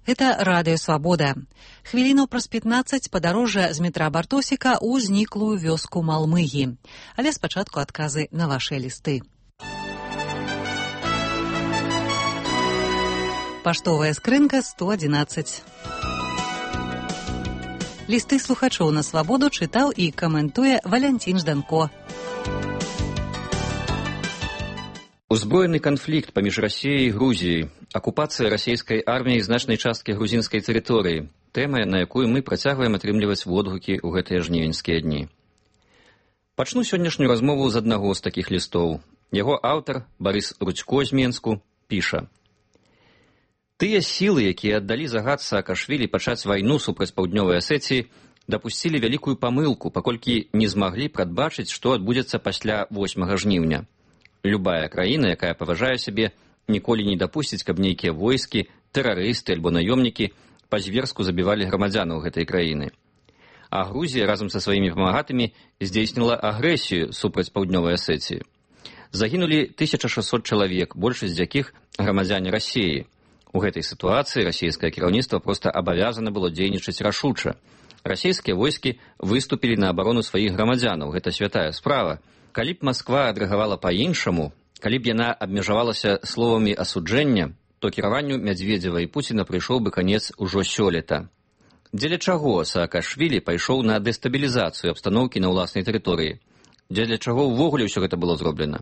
Гэта Радыё Свабода. Хвілінаў праз 15 падарожжа з метра Бартосіка ў зніклую вёску Малмыгі. Але спачатку адказы на вашыя лісты. Паштовая скрынка 111. Лісты слухачоў на Свабоду чытаў і каментуе Валянцін Жданко. Узброены канфлікт паміж Расіяй і Грузіяй, акупацыя расійскай арміяй значнай часткі грузінскай тэрыторыі, тэма, на якую мы працягваем атрымліваць водгукі ў гэтыя жнівеньскія дні. Пачну сённяшнюю размову з аднаго з такіх лістоў. Яго аўтар, Барыс Рудзько з Менску, піша: «Тыя сілы, якія аддалі загад Саакашвілі пачаць вайну супраць Паўднёвай Асетіі, дапусцілі вялікую памылку, паколькі не змаглі прадбачыць, што адбудзецца пасля 8 жніўня. Любая краіна, якая паважае сябе, ніколі не дапусціць, каб нейкія войскі, тэрарысты альбо наёмнікі па-зверску забівалі грамадзянаў гэтай краіны. А Грузія разам са сваімі памагатымі здзейсніла агрэсію супраць Паўднёвай Асетіі. Загінулі 1600 чалавек, большасць з якіх грамадзяне Расіі. У гэтай сітуацыі расійскае кіраўніцтва проста абавязана было дзейнічаць рашуча. Расійскія войскі выступілі на абарону сваіх грамадзянаў. Гэта святая справа. Калі б Масква адрэагавала па-іншаму, калі б яна абмежавалася словамі асуджэння, то кіраванню Мядзведзева і Пуціна прыйшоў бы канец ужо сёлета. Дзеля чаго Саакашвілі пайшоў на дэстабілізацыю абстаноўкі на ўласнай тэрыторыі? Дзеля чаго ўвогуле ўсё гэта было зроблена?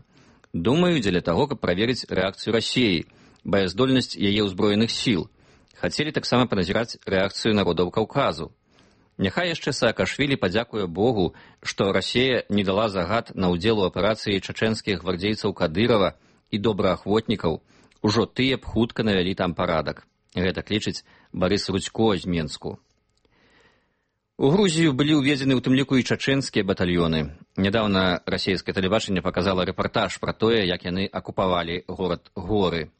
Думаю, дзеля таго, каб праверыць рэакцыю Расіі, баяздольнасць яе ўзброеных сіл. Хацелі таксама паназіраць рэакцыю народаў Каўказу. Няхай яшчэ Саакашвілі падзякуе Богу, што Расія не дала загад на ўдзел у аперацыі чачэнскіх гвардзейцаў Кадырова і добраахвотнікаў. Ужо тыя б хутка навялі там парадак. Гэта лічыць Барыс Рудзько з Менску. У Грузію былі ўведзены ў тым ліку і чачэнскія батальёны. Нядаўна расійскае тэлебачанне паказала рэпартаж пра тое, як яны акупавалі горад Горы.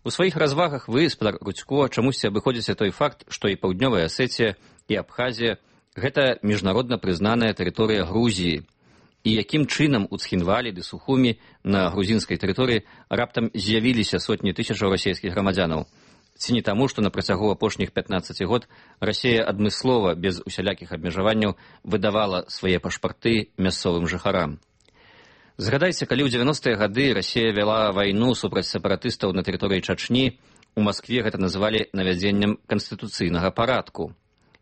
У сваіх развагах вы, спадар Рудзько, чамусьці абыходзіце той факт, што і Паўднёвая Асетія, і Абхазія – гэта міжнародна прызнаная тэрыторыя Грузіі. І якім чынам у Цхінвалі ды Сухумі на грузінскай тэрыторыі раптам з'явіліся сотні тысячаў расійскіх грамадзянаў? Ці не таму, што на працягу апошніх 15 год Расія адмыслова, без усялякіх абмежаванняў, выдавала свае пашпарты мясцовым жыхарам? Згадайце, калі ў 90-е гады Расія вяла вайну супраць сепаратыстаў на тэрыторыі Чачні, у Маскве гэта называлі навядзеннем канстытуцыйнага парадку.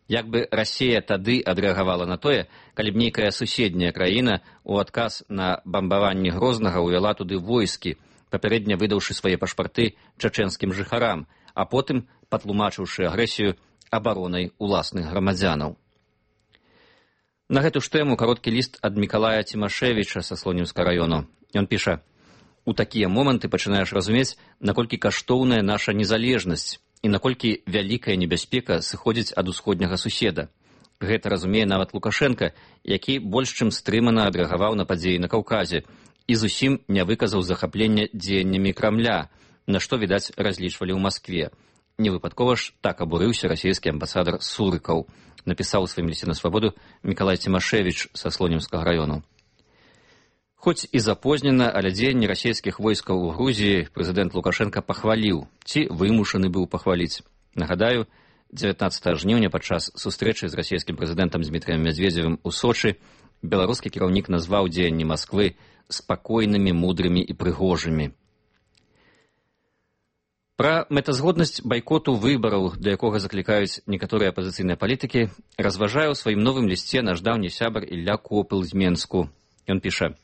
Як бы Расія тады адрэагавала на тое, калі б нейкая суседняя краіна у адказ на бамбаванне Грознага ўвяла туды войскі, папярэдне выдаўшы свае пашпарты чачэнскім жыхарам, а потым патлумачыўшы агрэсію абаронай уласных грамадзянаў. На гэту ж тэму кароткі ліст ад Мікалая Цімашевіча са Слонімска раёну. Ён піша: «У такія моманты пачынаеш разумець, наколькі каштоўная наша незалежнасць і наколькі вялікая небяспека сыходзіць ад усходняга суседа. Гэта разумее нават Лукашенка, які больш чым стрымана адрэагаваў на падзеі на Каўказе і зусім не выказаў захаплення дзеяннямі Крамля, на што, відаць, разлічвалі ў Маскве. Невыпадкова ж так абурыўся расійскі амбасадар Сурыкаў», напісаў у сваім лісце на Свабоду Мікалай Цімашевіч са Слонімскага раёну. Хоць і запознена, але дзеянні расійскіх войскаў у Грузіі прэзідэнт Лукашенка пахваліў, ці вымушаны быў пахваліць. Нагадаю, 19 жніўня падчас сустрэчы з расійскім прэзідэнтам Дмітрыем Мядзведзевым у Сочы беларускі кіраўнік назваў дзеянні Масквы спакойнымі, мудрымі і прыгожымі. Пра мэтазгоднасць байкоту выбараў, да якога заклікаюць некаторыя апазіцыйныя палітыкі, разважае ў сваім новым лісце наш даўні сябар Ілля Копыл з Менску. Ён піша: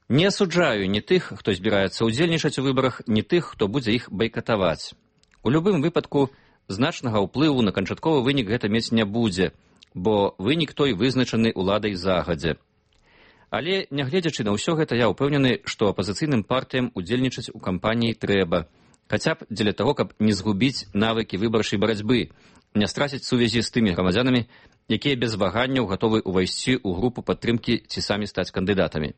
«Не асуджаю ні тых, хто збіраецца ўдзельнічаць у выбарах, ні тых, хто будзе іх байкатаваць. У любым выпадку значнага ўплыву на канчатковы вынік гэта мець не будзе, бо вынік той вызначаны ўладай загадзя. Але, нягледзячы на ўсё гэта, я ўпэўнены, што апазіцыйным партыям удзельнічаць у кампаніі трэба, хаця б дзеля таго, каб не згубіць навыкі выбарчай барацьбы, не страціць сувязі з тымі грамадзянамі, якія без ваганняў гатовы ўвайсці ў групу падтрымкі ці самі стаць кандыдатамі.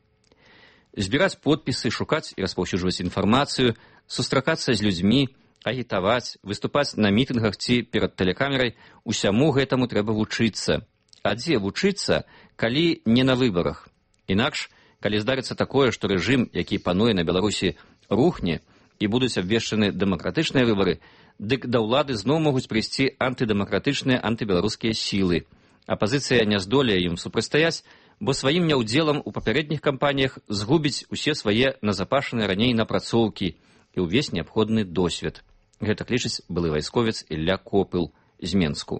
Збіраць подпісы, шукаць і распаўсюджваць інфармацыю, сустракацца з людзьмі, агітаваць, выступаць на мітынгах ці перад тэлекамерай, усяму гэтаму трэба вучыцца. А дзе вучыцца, калі не на выбарах? Інакш, калі здарыцца такое, што рэжым, які пануе на Беларусі, рухне, і будуць абвешчаны дэмакратычныя выбары, дык да ўлады зноў могуць прыйсці антыдэмакратычныя антыбеларускія сілы. Апазіцыя не здолее ім супрацьстаяць, бо сваім няўдзелам у папярэдніх кампаніях згубіць усе свае назапашаныя раней напрацоўкі і ўвесь неабходны досвед. Гэтак лічыць былы вайсковец Ілля Копыл з Менску.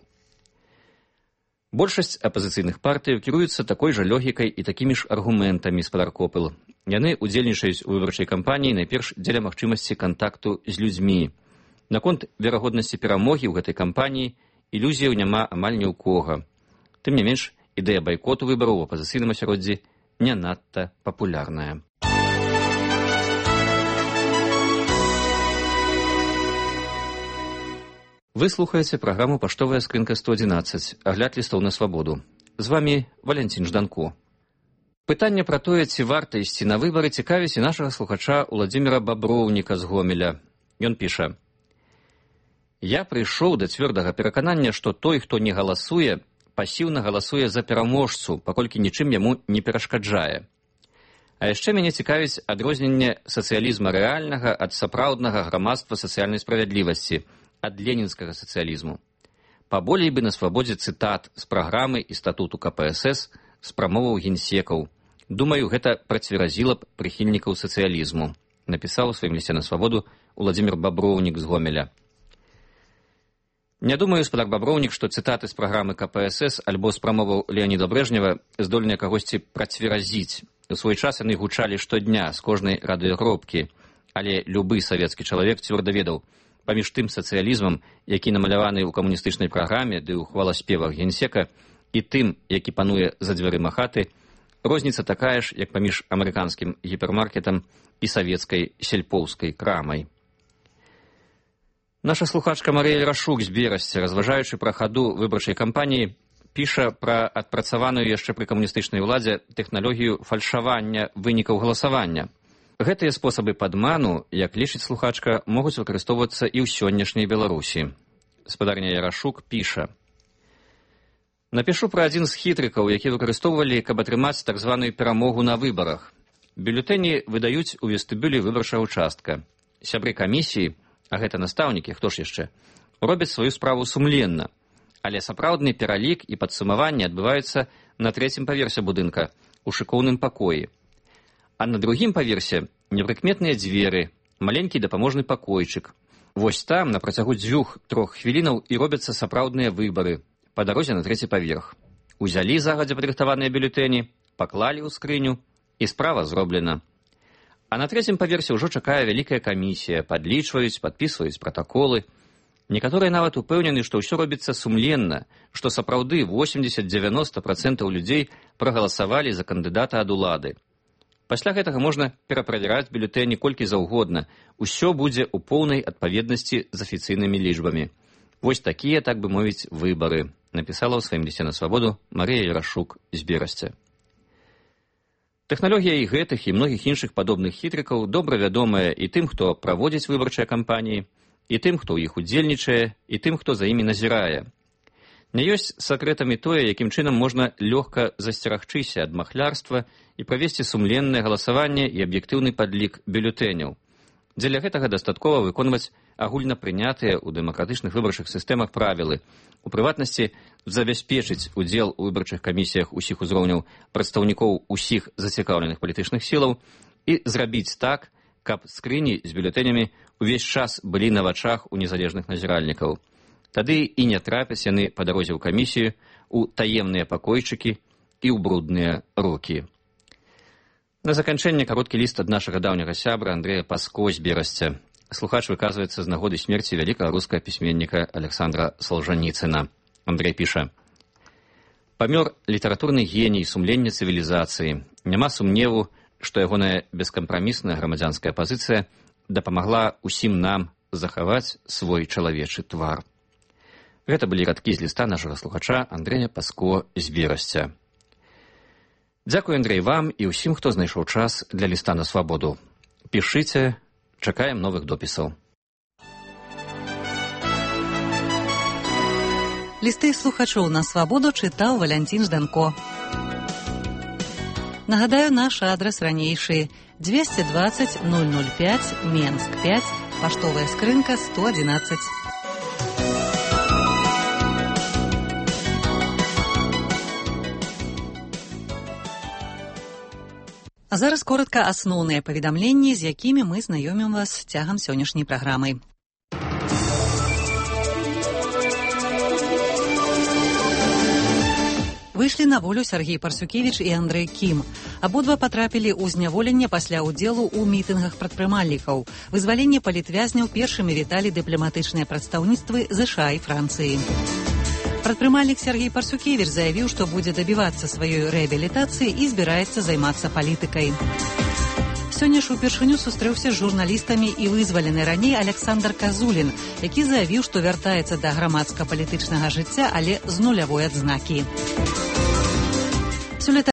Большасць апазіцыйных партыяў кіруюцца такой жа логікай і такімі ж аргументамі, спадар Копыл. Яны ўдзельнічаюць у выбарчай кампаніі найперш дзеля магчымасці кантакту з людзьмі. Наконт верагоднасці перамогі ў гэтай кампаніі ілюзіяў няма амаль ні ў кога. Тым не менш, ідэя байкоту выбараў у апазіцыйным асяроддзі не надта папулярная. Вы слухаеце праграму «Паштовая скрынка 111», агляд лістоў на свабоду. З вамі Валянцін Жданко. Пытанне пра тое, ці варта ісці на выбары, цікавіць і нашага слухача Уладзіміра Баброўніка з Гомеля. Ён піша: «Я прыйшоў да цвёрдага пераканання, што той, хто не галасуе, пасіўна галасуе за пераможцу, паколькі нічым яму не перашкаджае. А яшчэ мяне цікавіць адрозненне сацыялізма рэальнага ад сапраўднага грамадства сацыяльнай справядлівасці, ад ленінскага сацыялізму. Паболей бы на свабодзе цытат з праграмы і статуту КПСС, з прамоваў генсекаў. Думаю, гэта працверазіла б прыхільнікаў сацыялізму», напісаў у сваім лісце на свабоду Уладзімір Баброўнік з Гомеля. Не думаю, спадар Баброўнік, што цытаты з праграмы КПСС альбо з прамоваў Леаніда Брэжнева здольныя кагосьці працверазіць. У свой час яны гучалі штодня з кожнай радыёгробкі, але любы савецкі чалавек цвёрда ведаў, паміж тым сацыялізмам, які намаляваны ў камуністычнай праграме ды ў хваласпевах генсека, і тым, які пануе за дзвярыма хаты, розніца такая ж, як паміж амерыканскім гіпермаркетам і савецкай сельпоўскай крамай. Наша слухачка Марыя Рашук з Берасця, разважаючы пра хаду выбарчай кампаніі, піша пра адпрацаваную яшчэ пры камуністычнай уладзе тэхналогію фальшавання вынікаў галасавання. Гэтыя спосабы падману, як лічыць слухачка, могуць выкарыстоўвацца і ў сённяшняй Беларусі. Спадарня Ярашук піша: «Напішу пра адзін з хітрыкаў, які выкарыстоўвалі, каб атрымаць так званую перамогу на выбарах. Бюлетэні выдаюць у вестыбюлі выбарчага участка. Сябры камісіі, а гэта настаўнікі, хто ж яшчэ, робяць сваю справу сумленна, але сапраўдны пералік і падсумаванне адбываюцца на 3-м паверсе будынка, у шыкоўным пакоі. А на 2-м паверсе непрыкметныя дзверы, маленькі дапаможны пакойчык. Вось там на працягу 2-3 хвілінаў і робяцца сапраўдныя выбары па дарозе на 3-й паверх. Узялі загадзя падрыхтаваныя бюлетэні, паклалі ў скрыню, і справа зроблена. А на 3-м паверсе ўжо чакае вялікая камісія, падлічваюць, падпісваюць пратаколы. Некаторыя нават упэўнены, што ўсё робіцца сумленна, што сапраўды 80-90% людзей прагаласавалі за кандыдата ад улады. Пасля гэтага можна пераправяраць бюлетэні колькі заўгодна. Усё будзе ў поўнай адпаведнасці з афіцыйнымі лічбамі. Вось такія, так бы мовіць, выбары», напісала ў сваім лісце на свабоду Марыя Ярашук з Берасця. Тэхналогія і гэтых і многіх іншых падобных хітрыкаў добра вядомая і тым, хто праводзіць выбарчыя кампаніі, і тым, хто ў іх удзельнічае, і тым, хто за імі назірае. Не ёсць сакрэтамі тое, якім чынам можна лёгка засцерагчыся ад махлярства і правесці сумленнае галасаванне і аб'ектыўны падлік бюлетэняў. Дзеля гэтага дастаткова выконваць агульна прынятыя ў дэмакратычных выбарчых сістэмах правілы. У прыватнасці, забяспечыць удзел у выбарчых камісіях усіх узроўняў прадстаўнікоў усіх зацікаўленых палітычных сілаў і зрабіць так, каб скрыні з бюлетэнямі увесь час былі на вачах у незалежных назіральнікаў. Тады і не трапяць яны па дарозе ў камісію, у таемныя пакойчыкі і ў брудныя рукі. На заканчэнне кароткі ліст ад нашага даўняга сябра Андрэя Паско з Берасця. Слухач выказваецца з нагоды смерці вялікага рускага пісьменніка Александра Солжаніцына. Андрэй піша: «Памёр літаратурны геній сумлення цывілізацыі. Няма сумневу, што ягоная бескампрамісная грамадзянская пазіцыя дапамагла усім нам захаваць свой чалавечы твар». Гэта былі радкі з ліста нашага слухача Андрэя Паско з Берасця. Дзякуй, Андрэй, вам і ўсім, хто знайшоў час для ліста на свабоду. Пішыце, чакаем новых допісаў. Лісты слухачоў на свабоду чытаў Валянцін Жданко. Нагадаю, наш адрес ранейшы 220 005 Менск 5, паштовая скрынка 111. А зараз коротка асноўныя паведамленні, з якімі мы знаёмім вас цягам сённяшняй праграмы. Выйшлі на волю Сергей Парсюкевіч і Андрэй Кім. Абодва патрапілі ў зняволенне пасля ўдзелу ў мітынгах прадпрымальнікаў. Вызваленне палітвязняў першымі віталі дыпламатычныя прадстаўніцтвы ЗША і Францыі. Прадпрымальнік Сергей Парсюкевіч заявіў, што будзе дабівацца сваёй рэабілітацыі і збіраецца займацца палітыкай. Сёння ж упершыню сустрэўся з журналістамі і вызвалены раней Александр Казулін, які заявіў, што вяртаецца да грамадска-палітычнага жыцця, але з нулявой адзнакі.